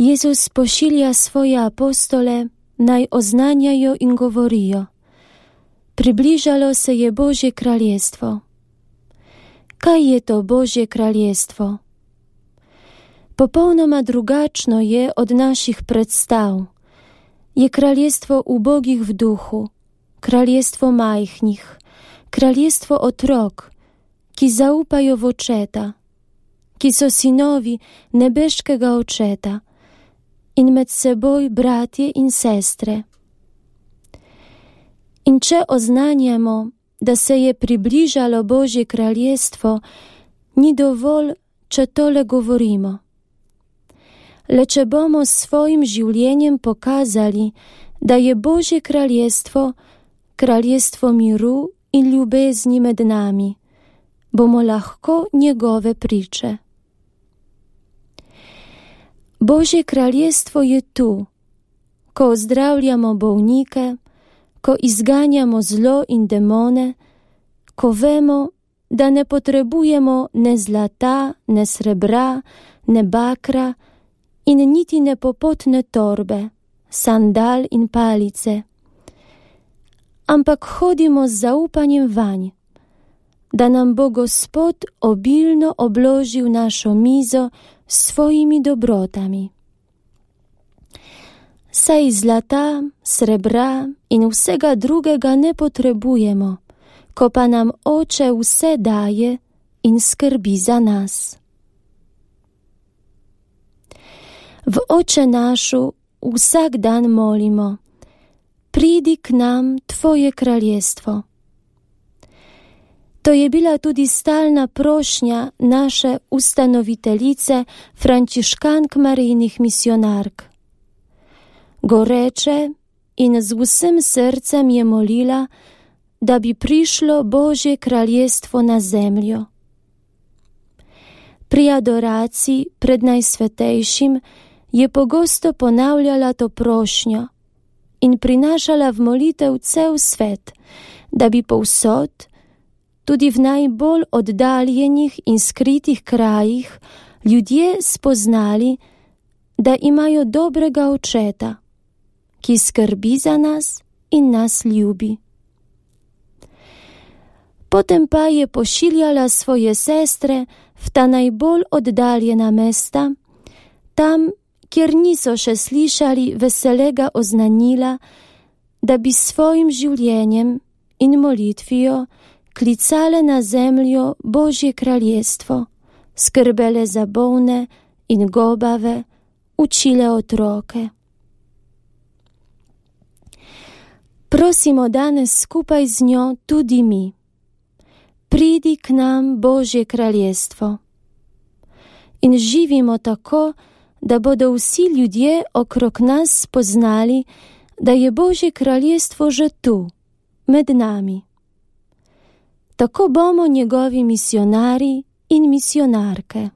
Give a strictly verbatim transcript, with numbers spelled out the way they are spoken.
Jezus pošilja svoje apostole, naj oznanjajo in govorijo: približalo se je Božje kraljestvo. Kaj je to Božje kraljestvo? Popolnoma drugačno je od naših predstav. Je kraljestvo ubogih v duhu, kraljestvo majhnih, kraljestvo otrok, ki zaupajo v očeta, ki so sinovi nebeškega očeta in med seboj bratje in sestre. In če oznanjamo, da se je približalo Božje kraljestvo, ni dovolj, če tole govorimo. Le če bomo s svojim življenjem pokazali, da je Božje kraljestvo kraljestvo miru in ljubezni med nami, bomo lahko njegove priče. Božje kraljestvo je tu, ko ozdravljamo bolnike, ko izganjamo zlo in demone, ko vemo, da ne potrebujemo ne zlata, ne srebra, ne bakra in niti ne popotne torbe, sandal in palice, ampak hodimo z zaupanjem vanj, da nam bo Gospod obilno obložil našo mizo s svojimi dobrotami. Saj zlata, srebra in vsega drugega ne potrebujemo, ko pa nam Oče vse daje in skrbi za nas. V Oče našu vsak dan molimo: pridi k nam tvoje kraljestvo. To je bila tudi stalna prošnja naše ustanoviteljice frančiškank Marijinih misionark. Goreče in z vsem srcem je molila, da bi prišlo Božje kraljestvo na zemljo. Pri adoraciji pred Najsvetejšim je pogosto ponavljala to prošnjo in prinašala v molitev cel svet, da bi povsod, tudi v najbolj oddaljenih in skritih krajih, ljudje spoznali, da imajo dobrega očeta, ki skrbi za nas in nas ljubi. Potem pa je pošiljala svoje sestre v ta najbolj oddaljena mesta, tam, kjer niso še slišali veselega oznanila, da bi s svojim življenjem in molitvijo klicale na zemljo Božje kraljestvo, skrbele za bolne in gobave, učile otroke. Prosimo danes skupaj z njo tudi mi: pridi k nam Božje kraljestvo. In živimo tako, da bodo vsi ljudje okrog nas spoznali, da je Božje kraljestvo že tu, med nami. Tako bomo njegovi misionarji in misionarke.